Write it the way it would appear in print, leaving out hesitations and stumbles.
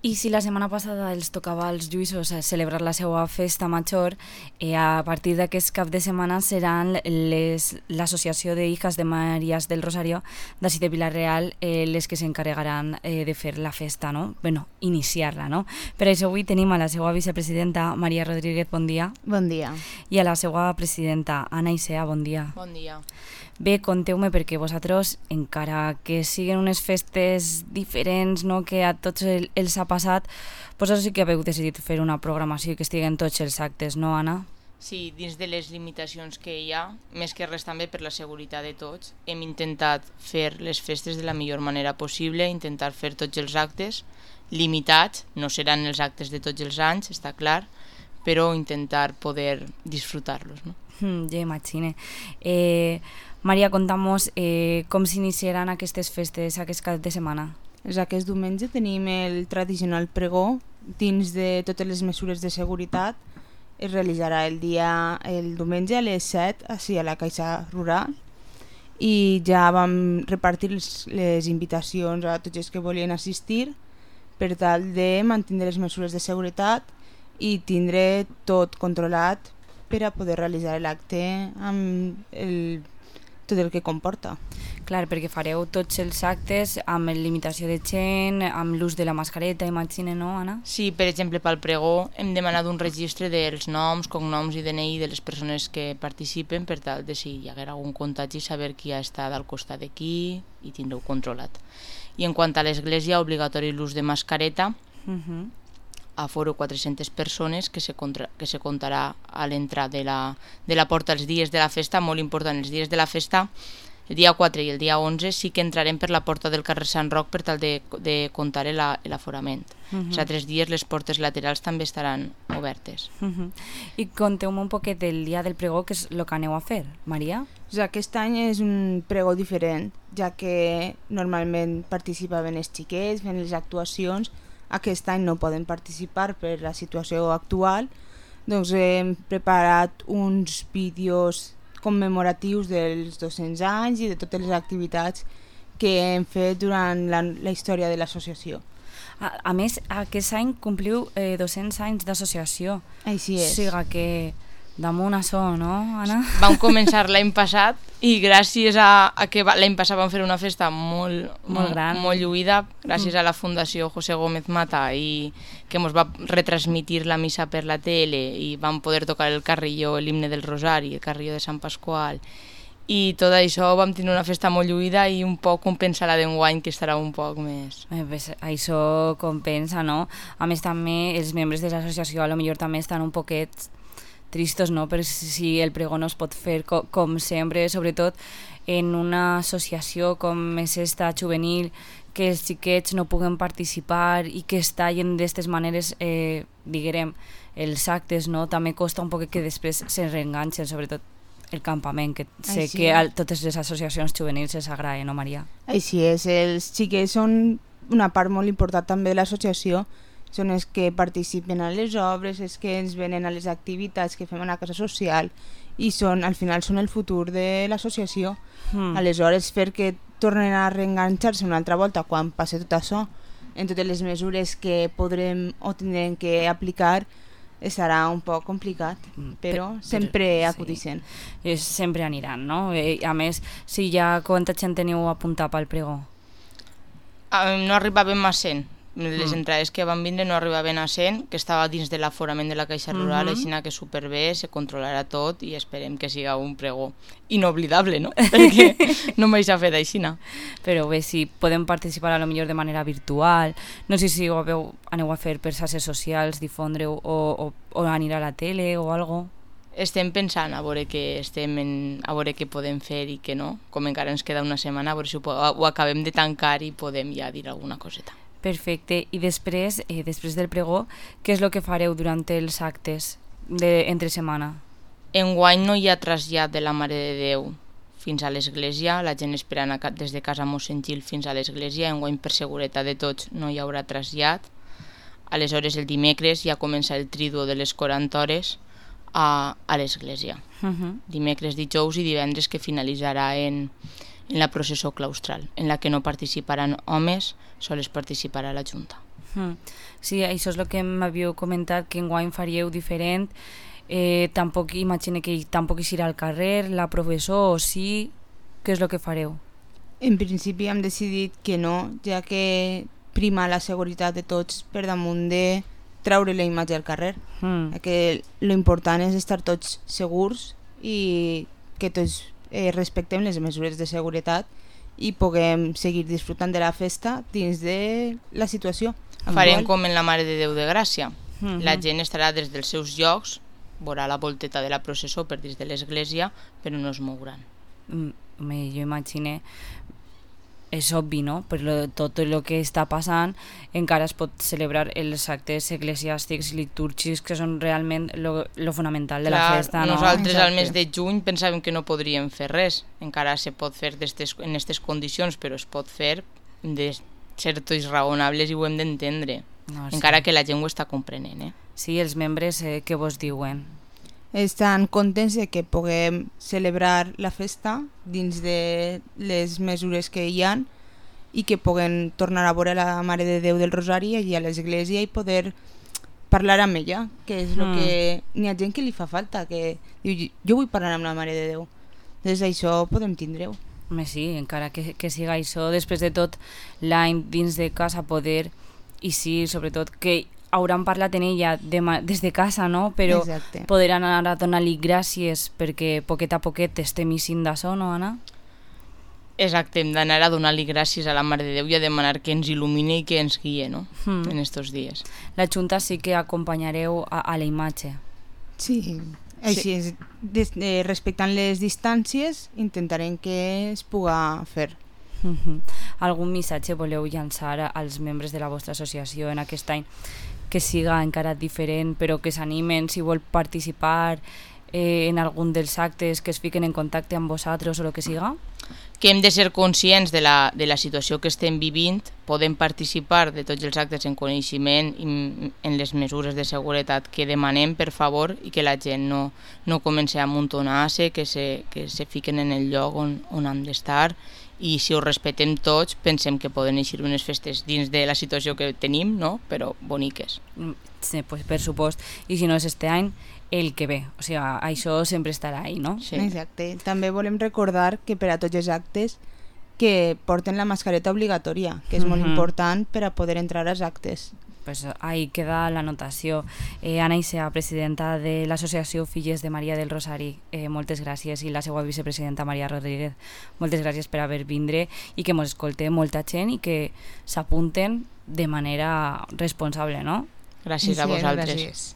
I si la setmana passada els tocava als lluïssos celebrar la seva festa major, a partir d'aquest cap de setmana seran l'Associació de Hijas de Marías del Rosario d'ací de Vila-real les que s'encarregaran de fer la festa, no? Bueno, iniciar-la, no? Per això avui tenim a la seva vicepresidenta Maria Rodríguez, bon dia. Bon dia. I a la seva presidenta Anna Isea, bon dia. Bon dia. Bé, conteu-me perquè vosaltres, encara que siguin unes festes diferents, no, que a tots els ha passat, vosaltres sí que haveu decidit fer una programació que estiguen tots els actes, no, Anna? Sí, dins de les limitacions que hi ha, més que res també per la seguretat de tots, hem intentat fer les festes de la millor manera possible, intentar fer tots els actes limitats, no seran els actes de tots els anys, està clar, però intentar poder disfrutar-los, no? Ja imagine. Maria, conta'm com s'iniciaran aquestes festes aquest cap de setmana. Aquest diumenge tenim el tradicional pregó dins de totes les mesures de seguretat. Es realitzarà el diumenge a les 7 així a la Caixa Rural i ja vam repartir les invitacions a tots els que volien assistir per tal de mantenir les mesures de seguretat i tindre tot controlat per a poder realitzar l'acte amb tot el que comporta. Clar, perquè fareu tots els actes amb limitació de gent, amb l'ús de la mascareta, imagine, no, Anna? Sí, per exemple, pel pregó hem demanat un registre dels noms, cognoms i DNI de les persones que participen per tal de si hi haguera algun contagi saber qui ha estat al costat de qui i tindreu controlat. I en quant a l'església, obligatori l'ús de mascareta, aforo 400 persones que se comptarà a l'entrada de la porta els dies de la festa, molt important, els dies de la festa, el dia 4 i el dia 11 sí que entrarem per la porta del carrer Sant Roc per tal de comptar l'aforament. Els altres dies les portes laterals també estaran obertes. I conteu-me un poquet del dia del pregó, que és el que aneu a fer, Maria? Aquest any és un pregó diferent, ja que normalment participaven els xiquets fent les actuacions. Aquest any no poden participar per la situació actual, doncs hem preparat uns vídeos commemoratius dels 200 anys i de totes les activitats que hem fet durant la història de l'associació. A més, aquest any compliu 200 anys d'associació. Així és. O sigui que damunt això, no, Anna? Vam començar l'any passat i gràcies a que l'any passat vam fer una festa molt gran, molt lluïda, gràcies a la Fundació José Gómez Mata i que ens va retransmitir la missa per la tele i vam poder tocar el carrilló, l'himne del Rosari, el carrilló de Sant Pasqual i tot això vam tenir una festa molt lluïda i un poc compensa la d'enguany que estarà un poc més. Això compensa, no? A més també els membres de l'associació a lo millor també estan un poquet tristos, no? Per si el pregó no es pot fer com sempre, sobretot en una associació com és esta juvenil, que els xiquets no puguen participar i que es tallen d'aquestes maneres, diguem, els actes, no? També costa un poc que després se reenganxen, sobretot el campament, que sé que a totes les associacions juvenils els agrada, no, Maria? Així és, els xiquets són una part molt important també de l'associació, són els que participen a les obres, els que ens venen a les activitats que fem a la casa social i al final són el futur de l'associació. Aleshores, fer que tornen a reenganxar-se una altra volta quan passi tot això, en totes les mesures que podrem o tindrem que aplicar, serà un poc complicat, però sempre acudixen. Sempre aniran, no? A més, si ja quanta gent teniu apuntat pel pregó? No arribàvem a 100. Les entrades que van vindre no arribaven a 100, que estava dins de l'aforament de la Caixa Rural, així que superbé, se controlarà tot i esperem que siga un pregó inoblidable, no? Perquè no mai s'ha fet així. Però bé, si podem participar a lo millor de manera virtual, no sé si ho aneu a fer per xarxes socials, difondre-ho o anirà a la tele o algo. Estem pensant a veure què podem fer i què no, com encara ens queda una setmana, a veure si ho acabem de tancar i podem ja dir alguna coseta. Perfecte. I després del pregó, què és el que fareu durant els actes entre setmana? Enguany no hi ha trasllat de la Mare de Déu fins a l'església, la gent esperant des de casa Mossèn Gil fins a l'església, enguany per seguretat de tots no hi haurà trasllat. Aleshores el dimecres ja comença el triduo de les 40 hores a l'església. Dimecres, dijous i divendres que finalitzarà en la processó claustral, en la que no participaran homes, sols participarà la Junta. Sí, això és el que m'havíeu comentat, que enguany faríeu diferent. Tampoc imagine que tampoc hi irà al carrer, la professor, o sí, què és el que fareu? En principi hem decidit que no, ja que prima la seguretat de tots per damunt de treure la imatge al carrer. Que l'important és estar tots segurs i que tots respectem les mesures de seguretat i puguem seguir disfrutant de la festa dins de la situació actual. Farem com en la Mare de Déu de Gràcia. La gent estarà des dels seus llocs, veurà la volteta de la processó per dins de l'església, però no es mouran. Jo imagine, és obvi, no? Però tot el que està passant encara es pot celebrar els actes eclesiàstics i litúrgics, que són realment lo fonamental de la festa, no? Nosaltres al mes de juny pensàvem que no podríem fer res, encara se pot fer en aquestes condicions, però es pot fer de ser tots raonables i ho hem d'entendre, encara que la gent ho està comprenent. Sí, els membres què vos diuen? Estan contents de que puguem celebrar la festa dins de les mesures que hi han i que puguem tornar a veure la Mare de Déu del Rosari allí a l'església i poder parlar amb ella, que és el que n'hi ha gent que li fa falta, que diu, jo vull parlar amb la Mare de Déu. Des d'això podem tindre-ho. Sí, encara que siga això, després de tot l'any dins de casa poder, i sí, sobretot que hauran parlat en ella des de casa, no? Però poder anar a donar-li gràcies perquè poquet a poquet estem eixint d'això, no, Anna? Exacte, hem d'anar a donar-li gràcies a la Mare de Déu i a demanar que ens il·lumini i que ens guie, no? En estos dies. La Junta sí que acompanyareu a la imatge. Sí, així és. Respectant les distàncies intentarem que es puga fer. Algun missatge voleu llançar als membres de la vostra associació en aquest any que siga encara diferent, però que s'animen si vol participar en algun dels actes, que es fiquen en contacte amb vosaltres o el que siga? Que hem de ser conscients de la situació que estem vivint, podem participar de tots els actes en coneixement i en les mesures de seguretat que demanem, per favor, i que la gent no comenci a amuntonar-se, que se fiquen en el lloc on han d'estar, i si ho respetem tots pensem que poden eixir unes festes dins de la situació que tenim, no? Però boniques. Sí, pues, per supost. I si no és este any, el que ve. O sigui, això sempre estarà ahí, no? Sí. Exacte. També volem recordar que per a tots els actes que porten la mascareta obligatòria, que és molt important per a poder entrar als actes. Pues ahí queda l'anotació. Anna Isea, presidenta de l'Associació Filles de Maria del Rosari, moltes gràcies, i la seva vicepresidenta Maria Rodríguez, moltes gràcies per haver vindre i que mos escolte molta gent i que s'apunten de manera responsable, no? Gràcies a vosaltres. Gràcies.